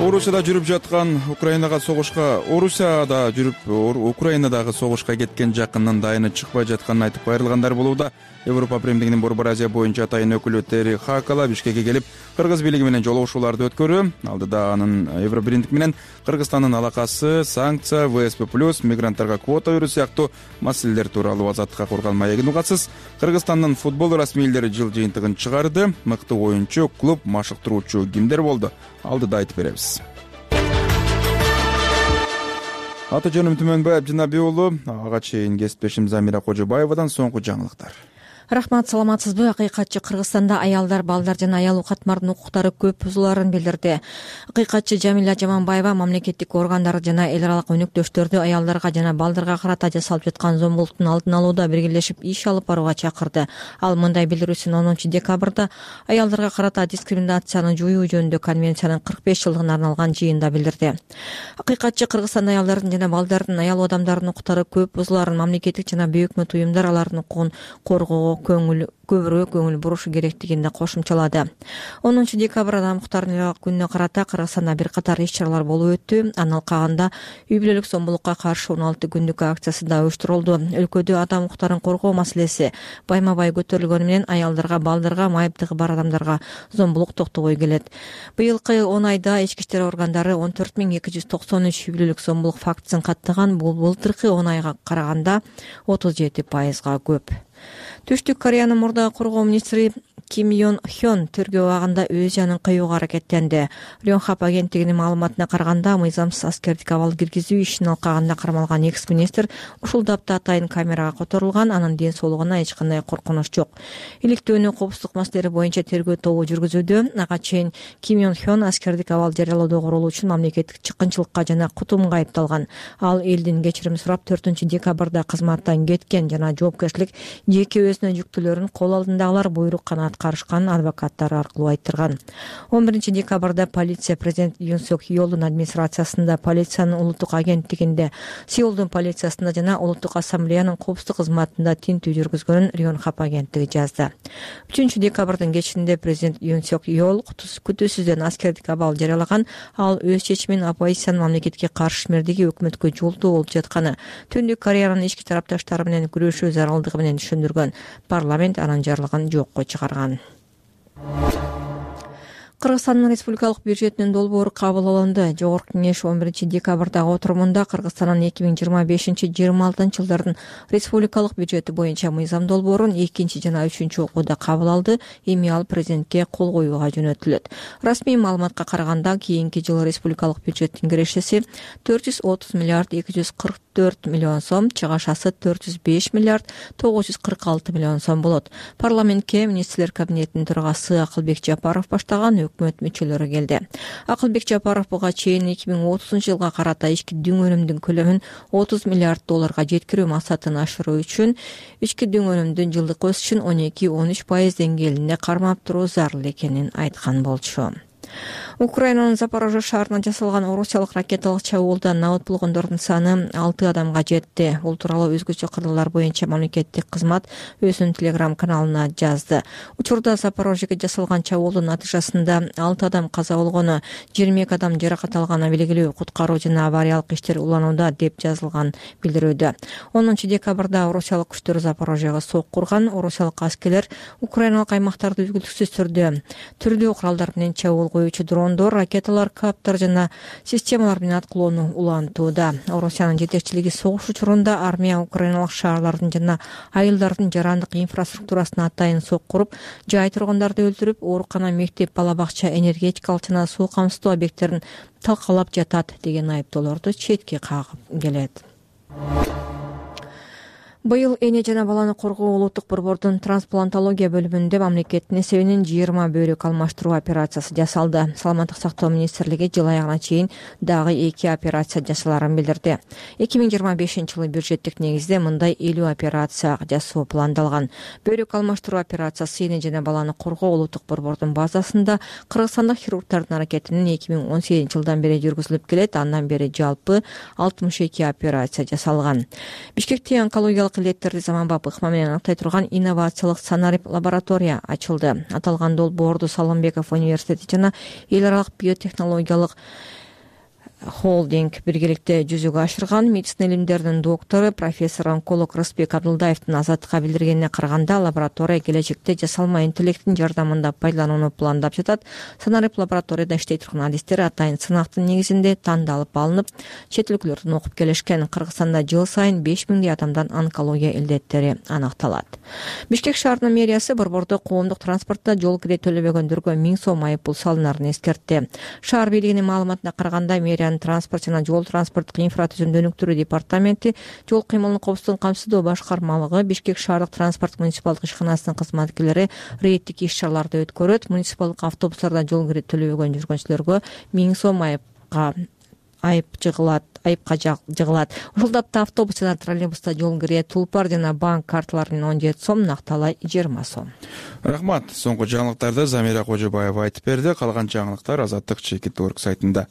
Орусияда жүрүп жаткан Орусияда жүрүп Украинадагы согушка кеткен жакынын дайыны чыкпай жатканын айтып кайрылгандар болууда. Европа Биримдигинин Борбор Азия боюнча атайын өкүлү Тери Хакала Бишкекке келип, Кыргыз бийлиги менен жолугушууларды өткөрүү. Алдыда анын Евро Биримдик менен Кыргызстандын алакасы, санкция, ВСП+, мигранттарга квота берүү сыяктуу маселелер тууралуу Азаттыкка курган маегин угасыз. Кыргызстандын футбол расмийлери жыл жыйынтыгын чыгарды. Мыкты оюнчу, клуб, машыктыруучу кимдер болду? Алдыда айтып беребиз. Аты жөнүм Түмөнбаев Жанаби уулу. Ага чейин кесиптешим Замира Кожобаевадан соңку жаңылыктар. Рахмат, саламатсызбы? Акыйкатчы Кыргызстанда аялдар, балдар жана аял катмардын укуктары көп бузуларын билдирди. Акыйкатчы Жамиля Жаманбаева мамлекеттик органдар жана эл аралык өнөктөштөрдү аялдарга жана балдарга карата жасалып жаткан зомбулуктун алдын алууда биргелешип иш алып барууга чакырды. Ал мындай билдирүүсүн 10 декабрда аялдарга карата дискриминацияны жоюу жөнүндө конвенциянын 45 жылдыгына арналган жыйында билдирди. Акыйкатчы Кыргызстанда аялдардын жана балдардын, аял адамдардын укуктары көп бузуларын, мамлекеттик жана бейөкмөт уюмдар алардын укугун коргоого көбүрөөк көңүл бурушу керектигин да кошумчалады. 10 декабрда адам укуктарынын күнүнө карата Кыргызстанда бир катар иш-чаралар болуп өттү. Анын алкагында үй бүлөлүк зомбулукка каршы 16 күндүк акциясы да уюштурулду. Өлкөдө адам укуктарын коргоо маселеси байма-бай көтөрүлгөнү менен аялдарга, балдарга, майыптыгы бар адамдарга зомбулук токтобой келет. Быйылкы 10 айда ички иштер органдары 14293 үй бүлөлүк зомбулук фактысын каттаган. Бул былтыркы 10 айга караганда 37%га көп. Түштүк Кореянын мурдагы коргоо министри Ким Йон Хён тергөө абагында өз жанын кыюуга аракеттенди. Рёнхап агенттигинин маалыматына караганда, мыйзамсыз аскердик абал киргизүү ишинин алкагында кармалган экс-министр ушул дапта атайын камерага которулган. Анын ден соолугуна эч кандай коркунуч жок. Иликтөөнү коопсуздук маселелери боюнча тергөө тобу жүргүзүүдө. Ага чейин Ким Йон Хён аскердик абал жарыялоодо корулуучу мамлекеттик чыккынчылыкка жана кутумга айыпталган. Ал элдин кечирим сурап 4 декабрда кызматтан кеткен жана жоопкерчилик жеке өзүнө жүктүүлөрүн кол алдындагылар буйрук гана аткарышкан адвокаттары аркылуу айттырган. 11 декабрда полиция президент Юн Сок Йолдун администрациясында, полициянын улуттук агенттигинде, Сеулдун полициясында жана улуттук ассамблеянын коопсуздук кызматында тинтүү жүргүзгөнүн Рёнхап агенттиги жазды. 3 декабрдын кечинде президент Юн Сок Йол күтүүсүздөн аскердик абал жарыялаган. Ал өз чечимин оппозициянын мамлекетке каршы ишмердиги өкмөткө жолдуу болуп жатканы, Түндүк Кореянын ички тарапташтары менен күрөшүү зарылдыгы менен түшүндүргөн. Парламент анын жарлыгын жокко чыгарган. Кыргызстандын республикалык бюджетинин долбоору кабыл алынды. Жогорку кеңеш 11 декабрдагы отурумунда Кыргызстандын 2025-26 жылдардын республикалык бюджети боюнча мыйзам долбоорун 2 жана 3 окууда кабыл алды. Эми ал президентке кол коюуга жөнөтүлөт. Расмий маалыматка караганда, кийинки жылы республикалык бюджеттин кирешеси 430 миллиард 244 миллион сом, чыгашасы 405 миллиард 946 миллион сом болот. Парламентке министрлер кабинетинин төрагасы Акылбек Жапаров баштаган өкмөт мүчөлөрү келди. Акылбек Жапаров буга чейин 2030 жылга карата ички дүң өнүмдүн көлөмүн 30 миллиард долларга жеткирүү максатын ашыруу үчүн ички дүң өнүмдүн жылдык өсүшүн 12-13% деңгээлинде кармап туруу зарыл экенин айткан болчу. Украинанын Запорожье шаарына жасалган орусиялык ракеталык чабуулда набыт болгондордун саны 6 адамга жетти. Бул тууралуу өзгөчө кырдаалдар боюнча мамлекеттик кызмат өзүнүн телеграм каналына жазды. Учурда Запорожьеге жасалган чабуулдун натыйжасында 6 адам каза болгону, 22 адам жаракат алганы белгилүү. Куткаруу жана авариялык иштер уланууда деп жазылган билдирүүдө. 10 декабрда орусиялык күчтөр Запорожьеге сок курган. Орусиялык аскерлер украиналык аймактарды үзгүлтүксүз түрдүү куралдар менен чабуул коюучу дрондор, ракеталар, каптар жана системалар менен аткылоону улантууда. Орусиянын жетекчилиги согуш учурунда армия украиналык шаарлардын жана айылдардын жарандык инфраструктурасына атайын сок куруп, жай тургундарды өлтүрүп, оорукана, мектеп, бала бакча, энергетикалык жана суу камсыздоо объекттерин талкалап жатат деген айыптоолорду четке кагып келет. Быйыл эне жана баланы коргоо улуттук борбордун трансплантология бөлүмүндө мамлекеттин эсебинен 20 бөйрөк алмаштыруу операциясы жасалды. Саламаттык сактоо министрлиги жыл аягына чейин дагы 2 операция жасаларын билдирди. 2025-жылы бюджеттик негизде мындай 50 операция жасоо пландалган. Бөйрөк алмаштыруу операциясы эне жана баланы коргоо улуттук борбордун базасында кыргызстандык хирургдардын аракетинен 2018-жылдан бери жүргүзүлүп келет. Андан бери жалпы 62 операция жасалган. Бишкекте онкологиялык биологиялык илеттерди заманбап ыкма менен аныктай турган инновациялык санарип лаборатория ачылды. Аталган долбоорду Салымбеков университети жана эл аралык биотехнологиялык холдинг биргеликте жүзөгө ашырган. Медицина илимдеринин доктору, профессор онколог Рысбек Абдылдаевдин Азаттыкка билдиргенине караганда, лаборатория келечекте жасалма интеллекттин жардамында пайдаланууну пландап жатат. Санарип лабораторияда иштей турган адистер атайын сынактын негизинде тандалып алынып, чет өлкөлөрдөн окуп келишкен. Кыргызстанда жыл сайын 5000 адамдан онкология илдеттери аныкталат. Бишкек шаарынын мэриясы борбордо коомдук транспортто жол кире төлөбөгөндөргө 1000 сом айыппул салынарын эскертти. Шаар бийлигинин маалыматына караганда, мэрия транспорт жана жол транспорттук инфратүзүмдү өнүктүрүү департаменти жол кыймылын коопсуздугун камсыздоо башкармалыгы Бишкек шаардык транспорт муниципалдык ишканасынын кызматкерлери рейдтик иш-чараларды өткөрөт. Муниципалдык автобустарда жол кире төлөбөгөн жүргүнчүлөргө 1000 сом айыпка жыгылат. Ушул тапта автобус жана троллейбуста жол кире, тулпар жана банк карталарынын 17 сом, накталай 20 сом. Рахмат. Соңку жаңылыктарды Замира Кожобаева айтып берди. Калган жаңылыктар Азаттык Чекит.орг сайтында.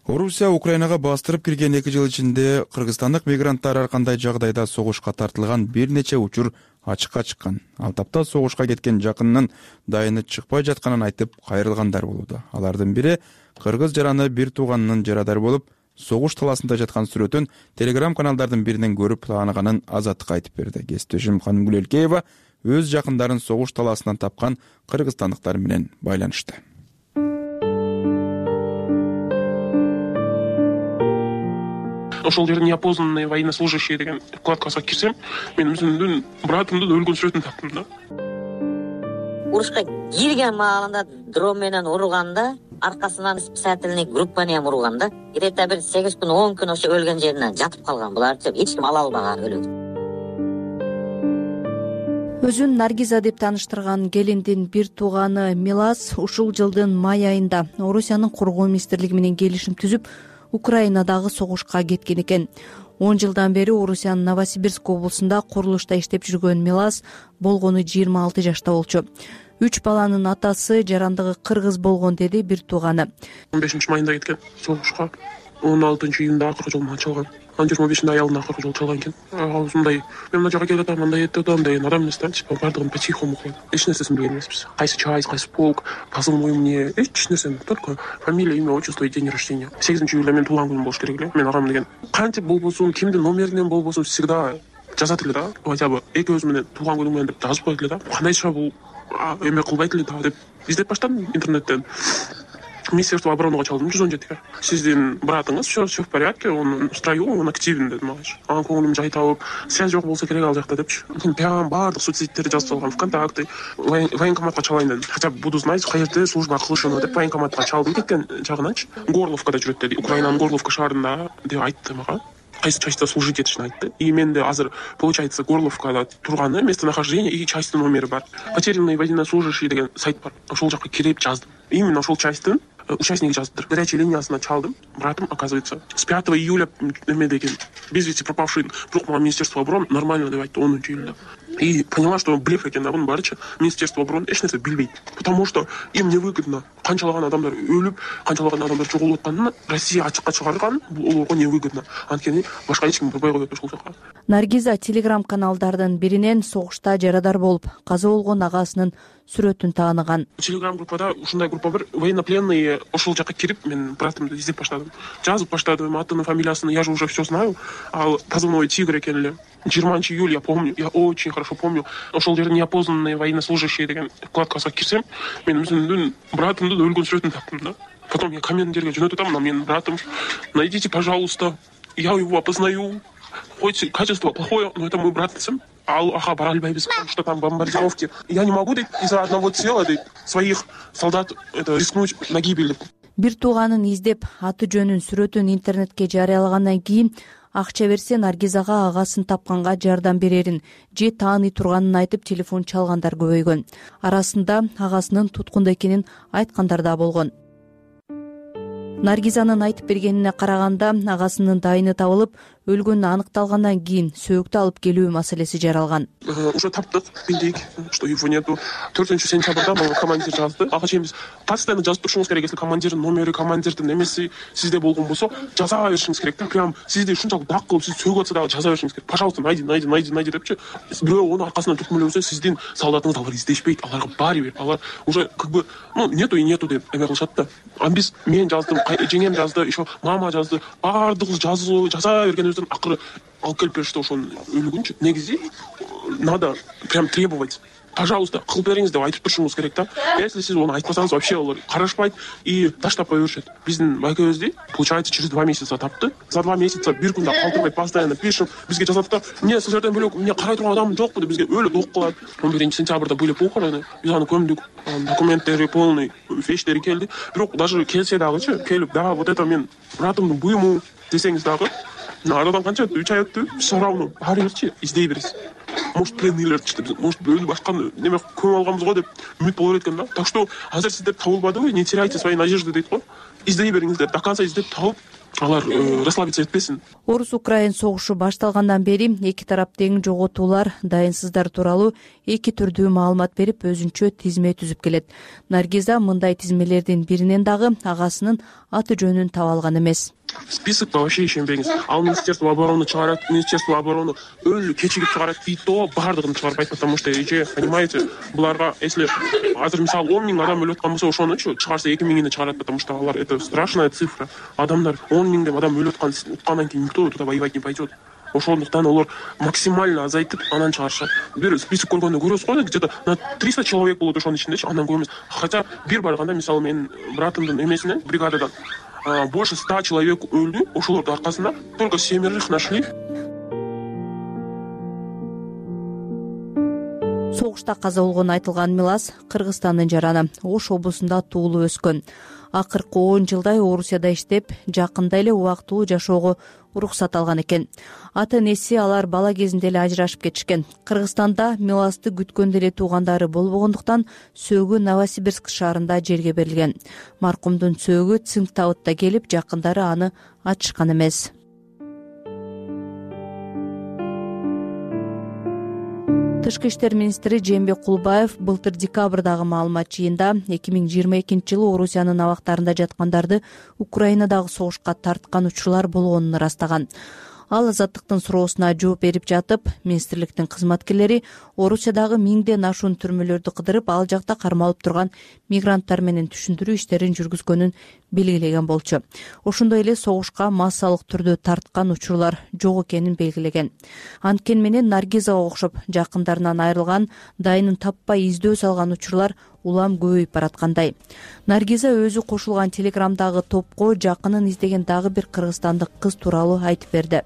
Орусия Украинага бастырып кирген 2 жыл ичинде кыргызстандык мигранттар ар кандай жагдайда согушка тартылган бир нече учур ачыкка чыккан. Ал тапта согушка кеткен жакынынын дайыны чыкпай жатканын айтып кайрылгандар болууда. Алардын бири кыргыз жараны бир тууганынын жарадар болуп, согуш таласында жаткан сүрөтүн телеграм каналдардын биринен көрүп тааныганын Азаттыкка айтып берди. Кесиптешим Канымгүл Элкеева өз жакындарын согуш таласынан тапкан кыргызстандыктар менен байланышты. Ошол жерде неопознанные военнослужащие деген вкладкага кирсем, мен өзүмдүн братымдын өлгөн сүрөтүн таптым да. Урушка кирген маалында дрон менен урганда, аркасынан спасательный группаны урганда, где-то бир 8 күн 10 күн ошо өлгөн жеринен жатып калган. Буларчы эч ким ала албаган өлүп. Өзүн Наргиза деп тааныштырган келиндин бир тууганы Милас ушул жылдын май айында Орусиянын кургоо министрлиги менен келишим түзүп, Украинадагы согушка кеткен экен. 10 жылдан бери Орусиянын Новосибирск облусунда курулушта иштеп жүргөн Милас болгону 26 жашта болчу. 3 баланын атасы, жарандыгы кыргыз болгон, деди бир тууганы. 15 майында кеткен согушка. 16 июнда акыркы жолун ачылган. 25 аялына акыркы жол чалган экен. Ал ушундай, мен мына жака келатам, мындай этем деген адам эмес да, типа бардыгын по-тихому кылат. Эч нерсесин билген эмеспиз. Кайсы часть, кайсы полк, позывной мне, эч нерсени, только фамилия, имя, отчество и день рождения. 8 июля мен туулган күнүм болуш керек эле. Мен агам деген кантип болбосун, кимдин номеринен болбосун всегда жазат эле да. Хотя бы экөөбүз менен туулган күнүм менен деп жазып коет эле да. Кандайча бул эме кылбайт эле да деп издеп баштадым интернеттен. Министерство обороны чалдым 117-ге. Сиздин братыңыз все в порядке, он в строю, он активен деди мага. Анын көңүлүм жай табып, связь жок болсо керек ал жакта депчи. Мен прям баардык соцсеттерди жазып салгам, ВКонтакте, военкоматка чалайын дедим. Хотя бы буду знать, каерде служба кылышын деп военкоматка чалдым кеткен жагыначы. Горловкада жүрөт деди. Украинанын Горловка шаарында деп айтты мага. Кайсы частьта служить этишин айтты. И менде азыр получается Горловкада турганы местонахождение и частьтын номери бар. Потерянные военнослужащие деген сайт бар. Ошол жакка кирип жаздым. Именно ошол частьтын участник жазыптыр. Горячая линиясына чалдым. Братым, оказывается, с 5 июля эме деген без вести пропавший бирок мага Министерство обороны нормально деп айтты 10 июльда. И поняла, что блеф экен да бунун баарычы. Министерство обороны эч нерсе билбейт. Потому что им невыгодно. Канчалаган адамдар өлүп, канчалаган адамдар жоголуп атканын Россия ачыкка чыгарган, бул олорго невыгодно. Анткени башка эч ким барбай коет ошол жака. Наргиза телеграм каналдардын биринен согушта жарадар болуп, каза болгон агасынын сүрөтүн тааныган. Телеграм группада ушундай группа бар, военнопленные ошол жака кирип, мен братымды издеп баштадым. Жазып баштадым, атын, фамилиясын, я же уже все знаю. Ал позывной Тигр экен эле. 20 июля я помню, я очень хорошо помню. Ошол жерде неопознанные военнослужащие деген вкладкага кирсем, мен өзүмдүн братымдын өлгөн сүрөтүн таптым да. Потом я комменттерге жөнөтүп атам, менин братым, найдите, пожалуйста, я его опознаю. Хоть качество плохое, но это мой брат десем. Ага, бара албайбыз, потому что там бомбардировки. Я не могу из-за одного тела своих солдат рискнуть на гибель. Бир тууганын издеп, аты жөнүн, сүрөтүн интернетке жарыялагандан кийин акча берсе Наргизага агасын тапканга жардам берерин же тааный турганын айтып телефон чалгандар көбөйгөн. Арасында агасынын туткунда экенин айткандар да болгон. Наргизанын айтып бергенине караганда, агасынын дайыны табылып, өлгөнү аныкталгандан кийин сөөгүттү алып келүү маселеси жаралган. Уже таптык, билдик, что его нету. 4 сентябрда мага командир жазды. Ага чейин биз постоянно жазып турушуңуз керек. Если командирдин номери, командирдин эмеси сизде болгон болсо, жаза беришиңиз керек да. Прям сизди ушунчалык дак кылып, сиз сөгүп атса дагы жаза беришиңиз керек. Пожалуйста, найди депчи. Бирөө онун аркасынан түркмөлөбөсө, сиздин солдатыңыз алар издешпейт. Аларга баары бир. Алар уже как бы, нету деп эме кылышат да. Биз мен жаздым, жеңем жазды, еще мама жазды. Баардыгыбыз жаза бергенибизден акыры алып келип беришти ошонун өлүгүнчү. Негизи надо прям требовать. Пожалуйста, кылып бериңиз деп айтып турушуңуз керек да. Если сиз аны айтпасаңыз, вообще алар карашпайт и таштап кое беришет. Биздин байкебизди, получается, через 2 месяца тапты. За 2 месяца бир күндө калтырбай постоянно пишем. Бизге жазат да, эмне сил жерден бөлөк, эмне карай турган адам жокпу деп бизге өлүп док кылат. 11 сентябрда были похороны. Биз аны көмдүк. Документтери полный, вещтери келди. Бирок даже келсе дагычы, келип, да, вот это мен братымдын буюму десеңиз дагы, арадан канча 3 ай өттү, все равно баары бирчи издей бересиз. Может, пленныйлер чыкты, может, бөлүп башка неме көмүп алганбыз го деп үмүт боло берет экен да. Так что азыр сиздер табылбадыбы, не теряйте свои надежды дейт го. Издей бериңиздер, до конца издеп табып, алар расслабиться этпесин. Орус-Украин согушу башталгандан бери эки тарап тең жоготуулар, дайынсыздар тууралуу 2 түрдүү маалымат берип, өзүнчө тизме түзүп келет. Наргиза мындай тизмелердин биринен дагы агасынын аты жөнүн таба алган эмес. Списокто вообще ишенбеңиз. Ал Министерство обороны чыгарат, Министерство обороны өлү кечигип чыгарат, и то баардыгын чыгарбайт, потому что понимаете, буларга если азыр мисалы 10 000 адам өлүп аткан болсо, ошонучу чыгарса 2 000-ини чыгарат, потому что алар это страшная цифра. Адамдар 10 000 деп адам өлүп аткандан кийин никто туда воевать не пойдет. Ошондуктан алар максимально азайтып анан чыгарышат. Бир список көргөндө көрөсүз го, где-то на 300 человек болот ошонун ичиндечи, андан көп эмес. Хотя бир барганда мисалы менин братымдын эмесинен бригададан больше 100 человек өлдү, ошолордун аркасында только 7 нашли. Согушта каза болгон айтылган Милас Кыргызстандын жараны, Ош облусунда туулуп өскөн. Акыркы 10 жылдай Орусияда иштеп, жакында эле убактылуу жашоого уруксат алган экен. Ата-энеси алар бала кезинде эле ажырашып кетишкен. Кыргызстанда Миласты күткөндө эле туугандары болбогондуктан сөөгү Новосибирск шаарында жерге берилген. Маркумдун сөөгү Цинктауытта келип, жакындары аны ачышкан эмес. Тышкы иштер министри Жээнбек Кулбаев былтыр декабрдагы маалымат жыйында 2022-жылы Орусиянын абактарында жаткандарды Украинадагы согушка тарткан учурлар болгонун ырастаган. Ал азаттыктын суроосуна жооп берип жатып, министрликтин кызматкерлери Орусиядагы 1000ден ашуун түрмөлөрдү кыдырып, ал жакта кармалып турган мигранттар менен түшүндүрүү иштерин жүргүзгөнүн белгилеген болчу. Ошондой эле согушка массалык түрдө тарткан учурлар жок экенин белгилеген. Анткени менен Наргизага окшоп жакындарынан айрылган, дайынын таппай издөө салган учурлар улам көбөйүп бараткандай. Наргиза өзү кошулган телеграмдагы топко жакынын издеген дагы бир кыргызстандык кыз тууралуу айтып берди.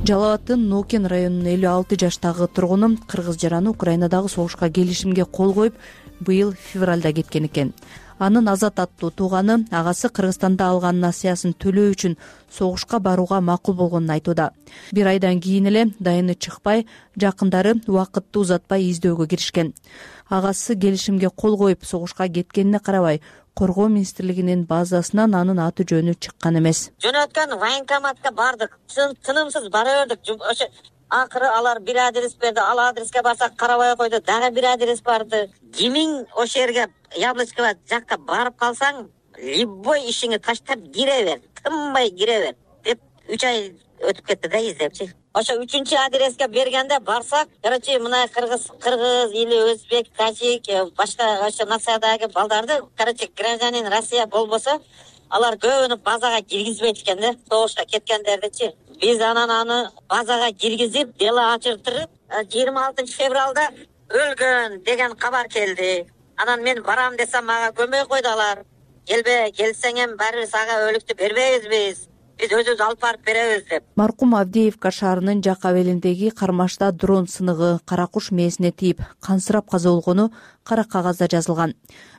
Жалал абаддын Нокен районунун 56 жаштагы тургуну кыргыз жараны Украинадагы согушка келишимге кол коюп, быйыл февралда кеткен экен. Анын Азат аттуу тууганы агасы Кыргызстанда алган насыясын төлөө үчүн согушка барууга макул болгонун айтууда. Бир айдан кийин эле дайыны чыкпай, жакындары убакытты узатпай издөөгө киришкен. Агасы келишимге кол коюп согушка кеткенине карабай, Коргоо министрлигинин базасынан анын аты жөнү чыккан эмес. Жөнөткөн военкоматка бардык, тынымсыз бара бердик. Ошо акыры алар бир адрес берди, ал адреске барсак карабай койду, дагы бир адрес барды. Кимиң ошол жерге Яблочково жакка барып калсаң, любой ишиңи таштап кире бер, тынбай кире бер деп 3 ай өтүп кетти да издепчи. Ошо 3-чү адреске бергенде барсак, короче, мына кыргыз или өзбек, тажик, башка ошо нациядагы балдарды, короче, гражданин Россия болбосо, алар көбүнү базага киргизбейт экен да, согушка кеткендердичи. Биз анан аны базага киргизип, дело ачыртып, 26 февралда өлгөн деген кабар келди. Анан мен барам десем, мага көмөй койду алар. Келбе, келсең эми баарыбыз ага өлүктү бербейбиз биз өзүбүз алып барып беребиз деп. Маркум Авдеевка шаарынын жак абелиндеги кармашта дрон сыныгы кара куш мээсине тийип, кансырап каза болгону кара кагазда жазылган.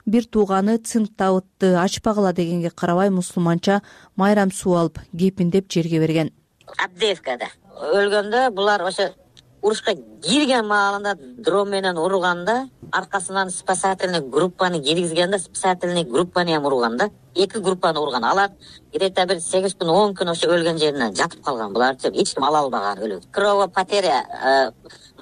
Бир тууганы Цинктауытты ачпагыла дегенге карабай мусулманча майрам суу алып, кепиндеп жерге берген. Авдеевкада өлгөндө булар ошо урушка кирген маалында дрон менен урганда, аркасынан спасательный группаны киргизгенде, спасательный группаны ham урган да. 2 группаны урган. Алар где-то бир 8 күн, 10 күн ошо өлгөн жеринен жатып калган. Буларчы эч ким ала албаган өлөт. Кровопотеря,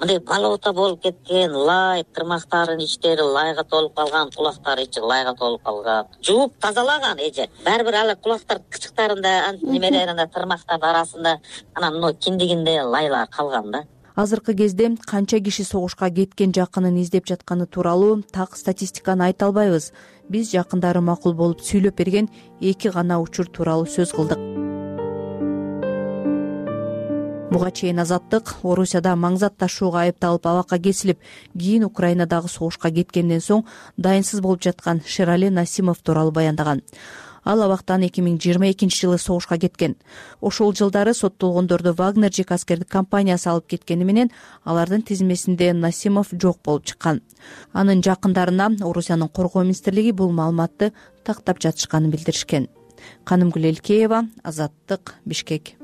мындай болото болуп кеткен, лай, тырмактарынын иштери лайга толуп калган, кулактары ичи лайга толуп калган. Жууп тазалаган эже. Баары бир ала кулактар кычыктарында, немелеринде, тырмактардын арасында анан мына киндигинде лайлар калган да. Азыркы кезде канча киши согушка кеткен жакынын издеп жатканы тууралуу так статистиканы айта албайбыз. Биз жакындары макул болуп сүйлөп берген 2 гана учур тууралуу сөз кылдык. Буга чейин Азаттык Орусияда маңзат ташууга айыпталып абакка кесилип, кийин Украинадагы согушка кеткенден соң дайынсыз болуп жаткан Шерали Насимов тууралуу баяндаган. Ал абактан 2022-жылы согушка кеткен. Ошол жылдары соттолгондорду Вагнер ЖК аскердик компаниясы алып кеткени менен алардын тизмесинде Насимов жок болуп чыккан. Анын жакындарына Орусиянын коргоо министрлиги бул маалыматты тактап жатышканын билдиришкен. Канымгүл Элкеева, Азаттык, Бишкек.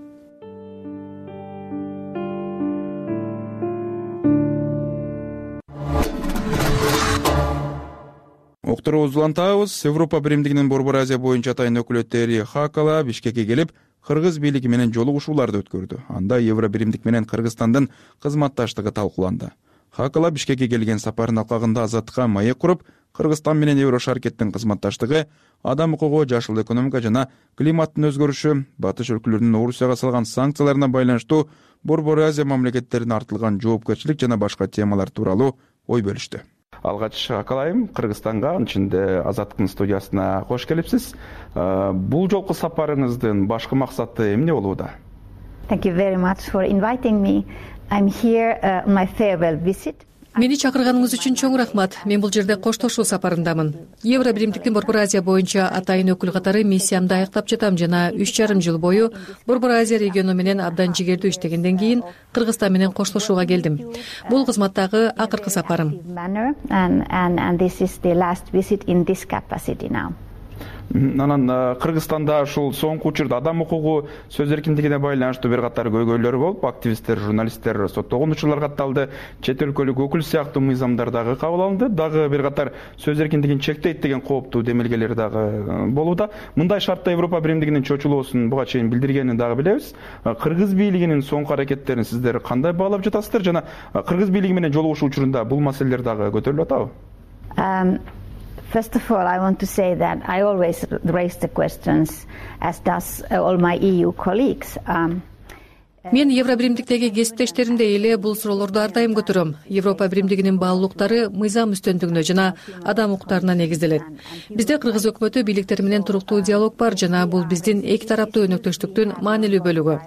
Уктуруубузду улантабыз. Европа биримдигинин Борбор Азия боюнча атайын өкүлөттөрү Хакала Бишкекке келип, кыргыз бийлиги менен жолугушууларды өткөрдү. Анда Евро биримдик менен Кыргызстандын кызматташтыгы талкууланды. Хакала Бишкекке келген сапарынын алкагында Азаттыкка маек куруп, Кыргызстан менен Евро шаркеттин кызматташтыгы, адам укугу, жашыл экономика жана климаттын өзгөрүшү, батыш өлкөлөрүнүн Орусияга салган санкцияларына байланыштуу Борбор Азия мамлекеттерине артылган жоопкерчилик жана башка темалар тууралуу ой бөлүштү. Алгач Акалайым Кыргызстанга, анын ичинде Азаттыктын студиясына кош келипсиз. Бул жолку сапарыңыздын башкы максаты эмне болууда? Thank you very much for inviting me. I'm here on my farewell visit. Мени чакырганыңыз үчүн чоң рахмат. Мен бул жерде коштошуу сапарындамын. Евро биримдиктин Борбор Азия боюнча атайын өкүл катары миссиямды аяктап жатам жана 3,5 жыл бою Борбор Азия региону менен абдан жигердүү иштегенден кийин Кыргызстан менен коштошууга келдим. Бул кызматтагы акыркы сапарым. And this is the last visit in this capacity now. Анан Кыргызстанда ушул соңку учурда адам укугу, сөз эркиндигине байланыштуу бир катар көйгөйлөр болуп, активисттер, журналисттер соттолгон учурлар катталды, чет өлкөлүк өкүл сыяктуу мыйзамдар дагы кабыл алынды, дагы бир катар сөз эркиндигин чектейт деген кооптуу демилгелер дагы болууда. Мындай шартта Европа биримдигинин чочулуусун буга чейин билдиргенин дагы билебиз. Кыргыз бийлигинин соңку аракеттерин сиздер кандай баалап жатасыздар жана Кыргыз бийлиги менен жолугушуу учурунда бул маселелер дагы көтөрүлүп атабы? First of all, I want to say that I always raise the questions, as does all my EU colleagues. Мен Евро биримдиктеги кесиптештеримдей эле бул суроолорду ар дайым көтөрөм. Европа биримдигинин баалуулуктары мыйзам үстөндүгүнө жана адам укуктарына негизделет. Бизде Кыргыз өкмөтү бийликтери менен туруктуу диалог бар жана бул биздин эки тараптуу өнөктөштүктүн маанилүү бөлүгү.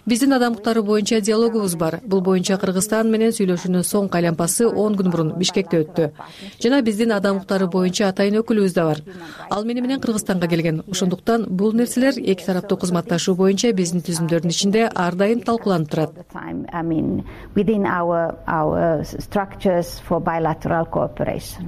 Биздин адам укуктары боюнча диалогубуз бар. Бул боюнча Кыргызстан менен сүйлөшүүнүн соңку айланпасы 10 күн мурун Бишкекте өттү. Жана биздин адам укуктары боюнча атайын өкүлүбүз да бар. Ал мени менен Кыргызстанга келген. Ошондуктан бул нерселер эки тараптуу кызматташуу боюнча биздин түзүмдөрдүн ичинде ар дайым талкууланып турат. I mean, within our structures for bilateral cooperation.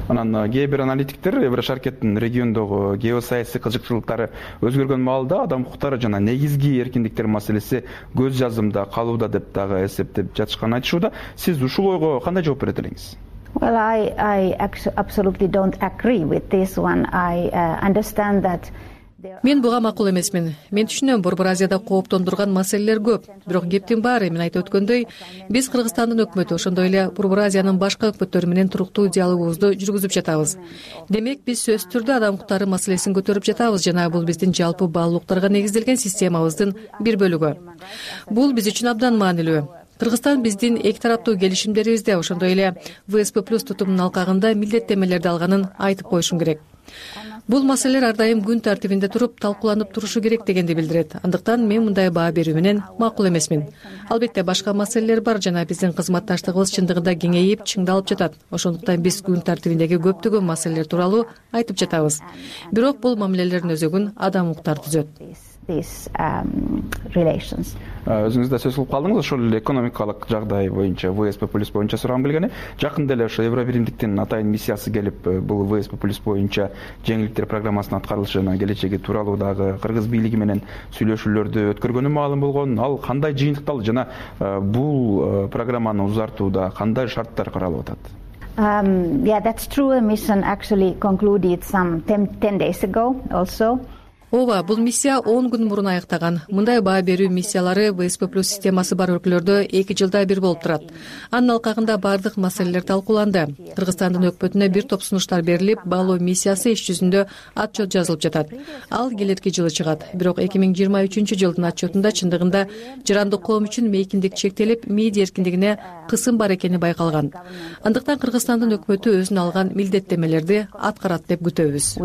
Анан кээ бир аналитиктер Евро шаркеттин региондогу геосаясий кызыкчылыктары өзгөргөн маалда адам укуктары жана негизги эркиндиктер маселеси көз жазымда калууда деп дагы эсептеп жатышканын айтышууда. Сиз ушул ойго кандай жооп берет элеңиз? Well, I absolutely don't agree with this one. I understand that. Мен буга макул эмесмин. Мен түшүнөм, Борбор Азияда кооптондурган маселелер көп. Бирок кептин баары мен айтып өткөндөй, биз Кыргызстандын өкмөтү, ошондой эле Борбор Азиянын башка өкмөттөрү менен туруктуу диалогубузду жүргүзүп жатабыз. Демек, биз сөзсүз түрдө адам укуктары маселесин көтөрүп жатабыз жана бул биздин жалпы баалуулуктарга негизделген системабыздын бир бөлүгү. Бул биз үчүн абдан маанилүү. Кыргызстан биздин эки тараптуу келишимдерибизде, ошондой эле ВСП+ тутумунун алкагында милдеттенмелерди алганын айтып коюшум керек. Бул маселелер ар дайым күн тартибинде туруп, талкууланып турушу керек дегенди билдирет. Андыктан мен мындай баа берүү менен макул эмесмин. Албетте башка маселелер бар жана биздин кызматташтыгыбыз чындыгында кеңейип, чыңдалып жатат. Ошондуктан биз күн тартибиндеги көптөгөн маселелер тууралуу айтып жатабыз. Бирок бул мамилелердин өзөгүн адам укуктары түзөт. these relations. Өзүңүз да сөз кылып калдыңыз, ошол эле экономикалык жагдай боюнча ВСП+ боюнча сурагым келген. Жакында эле ошо Евробиримдиктин атайын миссиясы келип, бул ВСП+ боюнча жеңилдиктер программасынын аткарылышы жана келечеги тууралуу дагы кыргыз бийлиги менен сүйлөшүүлөрдү өткөргөнү маалым болгон. Ал кандай жыйынтыкталды жана бул программаны узартууда кандай шарттар каралып атат? Yeah, that's true. The mission actually concluded some 10 days ago also. Ооба, бул миссия 10 күн мурун аяктаган. Мындай баа берүү миссиялары ВСП+ системасы бар өлкөлөрдө 2 жылда бир болуп турат. Анын алкагында бардык маселелер талкууланды. Кыргызстандын өкмөтүнө бир топ сунуштар берилип, баалоо миссиясы иш жүзүндө отчет жазылып жатат. Ал келерки жылы чыгат. Бирок 2023 жылдын отчетунда чындыгында жарандык коом үчүн мейкиндик чектелип, медиа эркиндигине кысым бар экени байкалган. Андыктан Кыргызстандын өкмөтү өзүнө алган милдеттемелерди аткарат деп күтөбүз.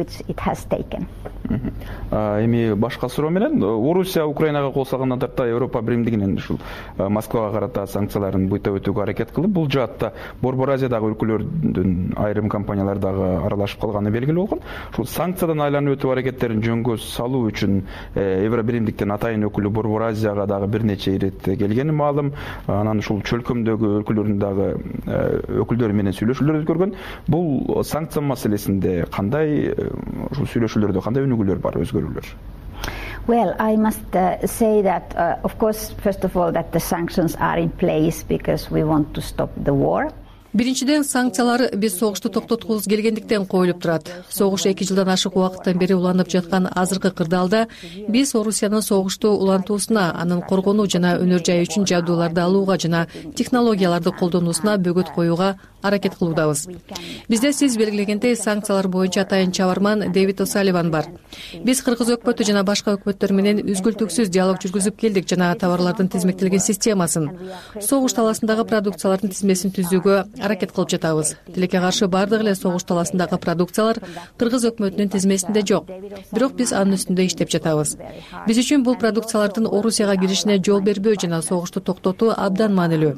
Эми башка суроо менен, Орусия Украинага кол салгандан тарта Европа Биримдигинин ушул Москвага карата санкцияларын буйтап өтүүгө аракет кылып, бул жаатта Борбор Азиядагы өлкөлөрдүн айрым компаниялар дагы аралашып калганы белгилүү болгон. Ушул санкциядан айланып өтүү аракеттерин жөнгө салуу үчүн Евробиримдиктин атайын өкүлү Борбор Азияга дагы бир нече ирет келгени маалым. Анан ушул чөлкөмдөгү өлкөлөрдүн дагы өкүлдөрү менен сүйлөшүүлөр өткөргөн. Бул санкция маселесинде кандай ушул сүйлөшүүлөрдө кандай өнүгүүлөр бар, өзгөрүүлөр? Well, I must say that, of course, first of all, that the sanctions are in place because we want to stop the war. Биринчиден, санкциялар биз согушту токтоткубуз келгендиктен коюлуп турат. Согуш 2 жылдан ашык убакыттан бери уланып жаткан азыркы кырдаалда биз Орусиянын согушту улантуусуна, анын коргонуу жана өнөр жайы үчүн жабдууларды алууга жана технологияларды колдонуусуна бөгөт коюуга аракет кылуудабыз. Бизде сиз белгилегендей санкциялар боюнча атайын чабарман Дэвид О'Салливан бар. Биз кыргыз өкмөтү жана башка өкмөттөр менен үзгүлтүксүз диалог жүргүзүп келдик жана товарлардын тизмектелген системасын, согуш таласындагы продукциялардын тизмесин түзүүгө аракет кылып жатабыз. Тилекке каршы бардык эле согуш таласындагы продукциялар кыргыз өкмөтүнүн тизмесинде жок. Бирок биз анын үстүндө иштеп жатабыз. Биз үчүн бул продукциялардын Орусияга киришине жол бербөө жана согушту токтотуу абдан маанилүү.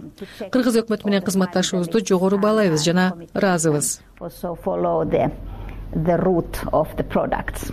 Кыргыз өкмөтү менен кызматташуубузду жогору баалайбыз жана ыраазыбыз. The root of the products.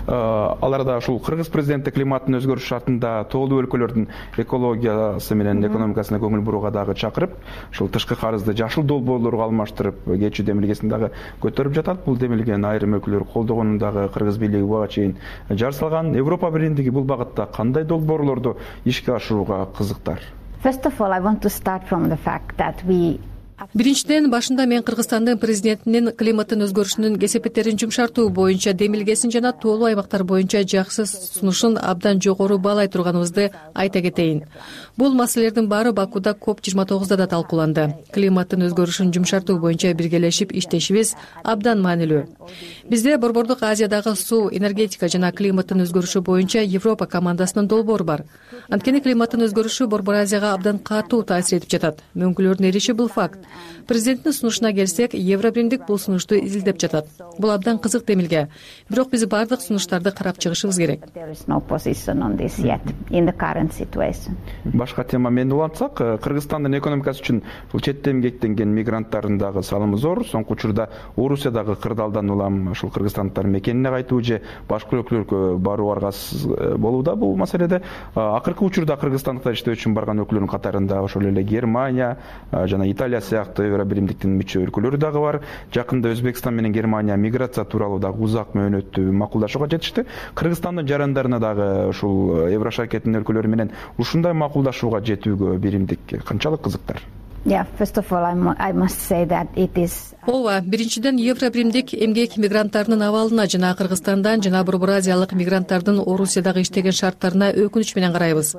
Аларда ушул кыргыз президенти климаттын өзгөрүш шартында тоолуу өлкөлөрдүн экологиясы менен экономикасына көңүл бурууга дагы чакырып, ушул тышкы карызды жашыл долбоорлорго алмаштырып кетүү демилгесин дагы көтөрүп жатат. Бул демилгени айрым өлкөлөр колдогонун дагы кыргыз бийлиги буга чейин жар салган. Европа Биримдиги бул багытта кандай долбоорлорду ишке ашырууга кызыктар? First of all, I want to start from the fact that Биринчиден, башында мен Кыргызстандын президентинин климаттын өзгөрүшүнүн кесепеттерин жумшартуу боюнча демилгесин жана тоолуу аймактар боюнча жакшы сунушун абдан жогору баалай турганыбызды айта кетейин. Бул маселелердин баары Бакуда COP29 да талкууланды. Климаттын өзгөрүшүн жумшартуу боюнча биргелешип иштешибиз абдан маанилүү. Бизде Борбордук Азиядагы суу, энергетика жана климаттын өзгөрүшү боюнча Европа командасынын долбоору бар. Анткени климаттын өзгөрүшү Борбор Азияга абдан катуу таасир этип жатат. Мөңгүлөрдүн эриши бул факт. Президенттин сунушуна келсек, Евробиримдик бул сунушту изилдеп жатат. Бул абдан кызык демилге. Бирок биз бардык сунуштарды карап чыгышыбыз керек. Башка тема менен улантсак, Кыргызстандын экономикасы үчүн бул четте эмгектенген мигранттардын дагы салымы зор. Соңку учурда Орусиядагы кырдаалдан улам ушул кыргызстандыктар мекенине кайтуу же башка өлкөлөргө баруу аргасыз болууда. Бул маселеде акыркы учурда кыргызстандыктар иштөө үчүн барган өлкөлөрдүн катарында ошол эле Германия жана Италия сыяктуу Евробиримдиктин мүчө өлкөлөрү дагы бар. Жакында Өзбекстан менен Германия миграция тууралуу дагы узак мөөнөттүү макулдашууга жетишти. Кыргызстандын жарандарына дагы ушул Еврошаркеттин өлкөлөрү менен ушундай макулдашууга жетүүгө Биримдик канчалык кызыктар? Yeah, first of all, I must say that it is. Ооба, биринчиден Евробиримдик эмгек мигранттарынын абалына жана Кыргызстандан жана Борбор Азиялык мигранттардын Орусиядагы иштеген шарттарына өкүнүч менен карайбыз.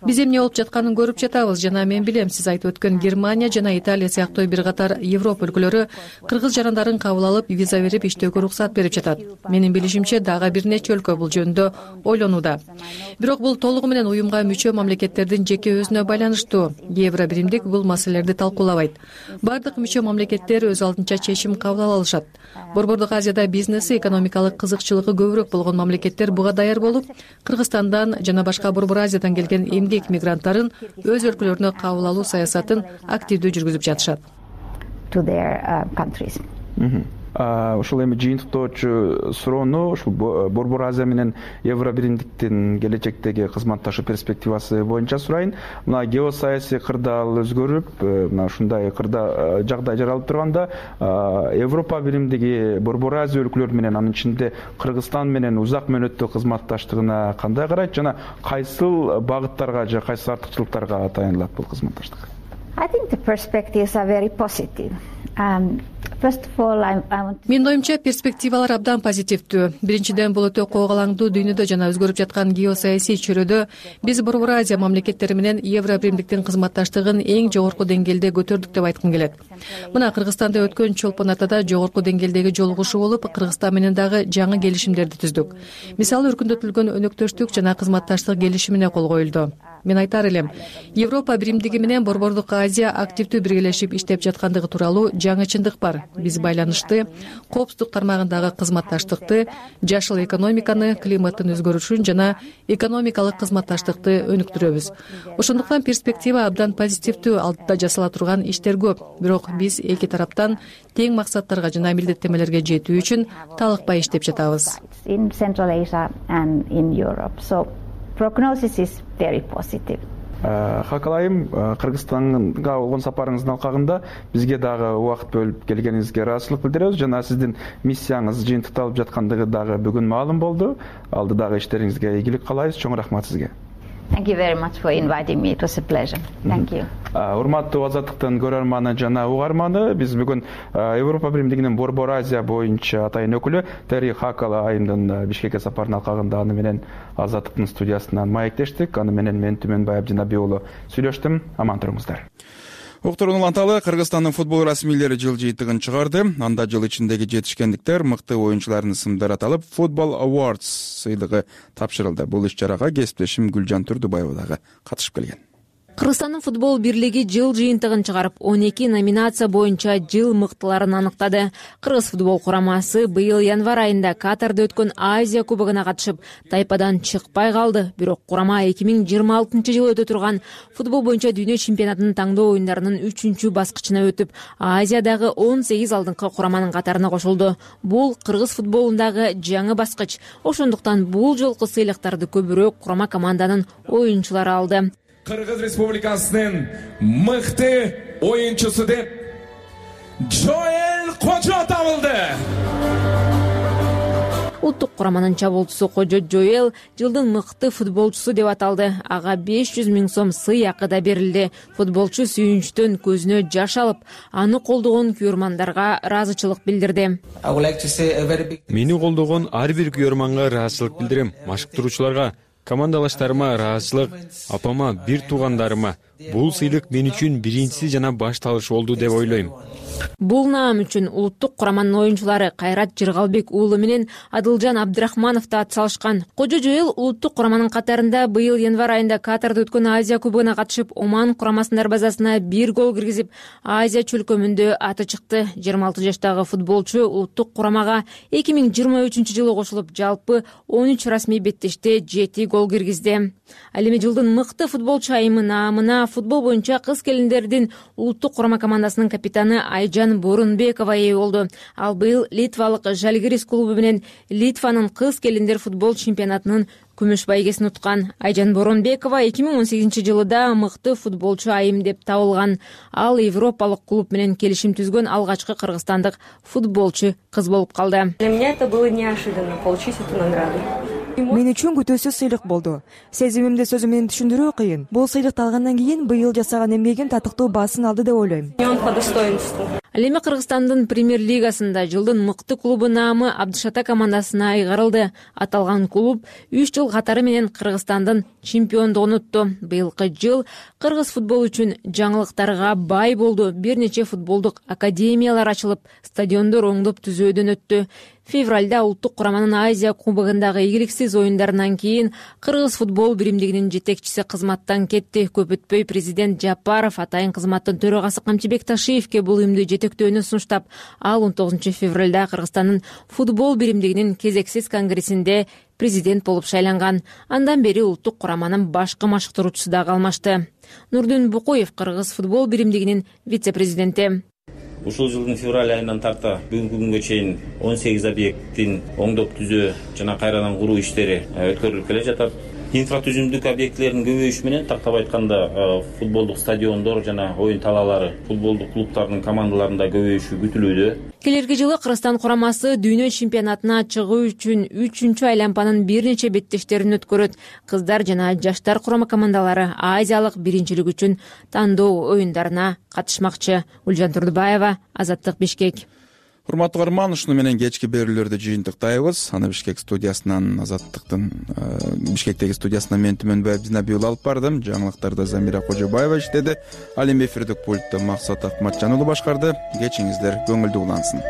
Биз эмне болуп жатканын көрүп жатабыз жана мен билем, сиз айтып өткөн Германия жана Италия сыяктуу бир катар Европа өлкөлөрү кыргыз жарандарын кабыл алып, виза берип иштөөгө уруксат берип жатат. Менин билишимче, дагы бир нече өлкө бул жөнүндө ойлонууда. Бирок бул толугу менен уюмга мүчө мамлекеттердин жеке өзүнө байланыштуу. Евробиримдик бул маселелерди талкуулабайт. Бардык мүчө мамлекеттер өз алдынча чечим кабыл ала алышат. Борбордук Азияда бизнеси, экономикалык кызыкчылыгы көбүрөөк болгон мамлекеттер буга даяр болуп, Кыргызстандан жана башка Борбор Азиядан келген эмгек мигранттарын өз өлкөлөрүнө кабыл алуу саясатын активдүү жүргүзүп жатышат. ушул эми жыйынтыктоочу суроону ушул Борбор Азия менен Евро биримдиктин келечектеги кызматташуу перспективасы боюнча сурайын. Мына геосаясий кырдаал өзгөрүп, мына ушундай кырда жагдай жаралып турганда, Европа биримдиги Борбор Азия өлкөлөрү менен, анын ичинде Кыргызстан менен узак мөөнөттүү кызматташтыгына кандай карайт жана кайсыл багыттарга же кайсы артыкчылыктарга таянылат бул кызматташтык? I think the perspectives are very positive. First of all, I want to... Менин оюмча перспективалар абдан позитивдүү. Биринчиден, бул өтө когалаңдуу дүйнөдө жана өзгөрүп жаткан геосаясий чөйрөдө биз Борбор Азия мамлекеттери менен Евро биримдиктин кызматташтыгын эң жогорку деңгээлде көтөрдүк деп айткым келет. Мына Кыргызстанда өткөн чолпон атада жогорку деңгээлдеги жолугушуу болуп, Кыргызстан менен дагы жаңы келишимдерди түздүк. Мисалы, өркүндөтүлгөн өнөктөштүк жана кызматташтык келишимине кол коюлду. Мен айтар элем, Европа биримдиги менен Борбордук Азия активдүү биргелешип иштеп жаткандыгы тууралуу жаңы чындык бар. Биз байланышты, коопсуздук тармагындагы кызматташтыкты, жашыл экономиканы, климаттын өзгөрүшүн жана экономикалык кызматташтыкты өнүктүрөбүз. Ошондуктан перспектива абдан позитивдүү, алдыда жасала турган иштер көп. Бирок биз эки тараптан тең максаттарга жана милдеттенмелерге жетүү үчүн талыкпай иштеп жатабыз. In Central Asia and in Europe. So prognosis is very positive. Хакалайым, Кыргызстанга болгон сапарыңыздын алкагында бизге дагы убакыт бөлүп келгениңизге ыраазычылык билдиребиз жана сиздин миссияңыз жыйынтыкталып жаткандыгы дагы бүгүн маалым болду. Алдыдагы иштериңизге ийгилик каалайбыз. Чоң рахмат сизге. Thank you very much for inviting me. It was a pleasure. Thank you. Урматтуу Азаттыктын көрөрманы жана угарманы, биз бүгүн Европа биримдигинин Борбор Азия боюнча атайын өкүлү Терри Хакала айымдын Бишкекке сапарынын алкагында аны менен Азаттыктын студиясынан маектештик. Аны менен мен Түмөнбай Абдинабий уулу сүйлөштүм. Аман туруңуздар. Уктурууну уланталы, Кыргызстандын футбол расмийлери жыл жыйынтыгын чыгарды. Анда жыл ичиндеги жетишкендиктер, мыкты оюнчулардын ысымдары аталып, Football Awards сыйлыгы тапшырылды. Бул иш-чарага кесиптешим Гүлжан Турдубаева дагы катышып келген. Кыргызстандын футбол бирлиги жыл жыйынтыгын чыгарып, 12 номинация боюнча жыл мыктыларын аныктады. Кыргыз футбол курамасы быйыл январь айында Катарда өткөн Азия кубогуна катышып, тайпадан чыкпай калды. Бирок курама 2026-жылы өтө турган футбол боюнча дүйнө чемпионатынын таңдоо оюндарынын 3-чү баскычына өтүп, Азиядагы 18 алдыңкы кураманын катарына кошулду. Бул кыргыз футболундагы жаңы баскыч. Ошондуктан бул жолку сыйлыктарды көбүрөөк курама команданын оюнчулары алды. Кыргыз Республикасынын мыкты оюнчусу деп Жоэл Кожо табылды. Улуттук кураманын чабуулчусу Кожо Жоэл жылдын мыкты футболчусу деп аталды. Ага 500 000 сом сый акы да берилди. Футболчу сүйүнчтөн көзүнө жаш алып, аны колдогон күйөрмандарга ыраазычылык билдирди. Мени колдогон ар бир күйөрманга ыраазычылык билдирем. Машыктыруучуларга, командалаштарыма ыраазычылык, апама, бир туугандарыма. Бул сыйлык мен үчүн биринчиси жана башталыш болду деп ойлойм. Бул наам үчүн улуттук кураманын оюнчулары Кайрат Жыргалбек уулу менен Адылжан Абдрахманов да атсалышкан. Кожо Жоэл улуттук кураманын катарында быйыл январь айында Катарда өткөн Азия кубогуна катышып, Оман курамасынын дарбазасына 1 гол киргизип, Азия чөлкөмүндө аты чыкты. 26 жаштагы футболчу улуттук курамага 2023-жылы кошулуп, жалпы 13 расмий беттеште 7 гол киргизди. Ал эми жылдын мыкты футболчу айымы наамына футбол боюнча кыз келиндердин улуттук курама командасынын капитаны Айжан Борунбекова ээ болду. Ал быйыл Литвалык Жалгирис клубу менен Литванын кыз келиндер футбол чемпионатынын күмүш байгесин уткан. Айжан Борунбекова 2018-жылда мыкты футболчу айым деп табылган. Ал европалык клуб менен келишим түзгөн алгачкы кыргызстандык футболчу кыз болуп калды. Для меня это было неожиданно получить эту награду. Мен үчүн күтүүсүз сыйлык болду. Сезимимди сөзүм менен түшүндүрүү кыйын. Бул сыйлыкты алгандан кийин быйыл жасаган эмгегим татыктуу баасын алды деп ойлойм. Он по достоинству. Ал эми Кыргызстандын премьер-лигасында жылдын мыкты клубу наамы Абдышата командасына айгарылды. Аталган клуб 3 жыл катары менен Кыргызстандын чемпиондугун утту. Быйылкы жыл кыргыз футбол үчүн жаңылыктарга бай болду. Бир нече футболдук академиялар ачылып, стадиондор оңдоп түзөөдөн өттү. Февралда улуттук кураманын Азия кубогундагы ийгиликсиз оюндарынан кийин кыргыз футбол биримдигинин жетекчиси кызматтан кетти. Көп өтпөй президент Жапаров атайын кызматтын төрагасы Камчыбек Ташиевке бул уюмду жетектөөнү сунуштап, ал 19 февралда Кыргызстандын футбол биримдигинин кезексиз конгрессинде президент болуп шайланган. Андан бери улуттук кураманын башкы машыктыруучусу да калмашты. Нурдун Букуев Кыргыз футбол биримдигинин вице-президенти. ушул жылдын февраль айынан тарта бүгүнкү күнгө чейин 18 объекттин оңдоп түзөө жана кайрадан куруу иштери өткөрүлүп келе жатат. Инфратүзүмдүк объектилердин көбөйүшү менен тактап айтканда футболдук стадиондор жана оюн талаалары, футболдук клубтардын командаларында көбөйүшү күтүлүүдө. Келерки жылы Кыргызстан курамасы дүйнө чемпионатына чыгуу үчүн 3-чү айланпанын бир нече беттештерин өткөрөт. Кыздар жана жаштар курама командалары Азиялык биринчилик үчүн тандоо оюндарына катышмакчы. Ульжан Турдубаева, Азаттык, Бишкек. Урматтуу көрөрман, ушуну менен кечки берүүлөрдү жыйынтыктайбыз. Аны Бишкек студиясынан, Азаттыктын Бишкектеги студиясынан мен Түмөнбаев Динабиул алып бардым. Жаңылыктарда Замира Кожобаева иштеди. Ал эми эфирдик пультта Максат Акматжан уулу башкарды. Кечиңиздер көңүлдүү улансын.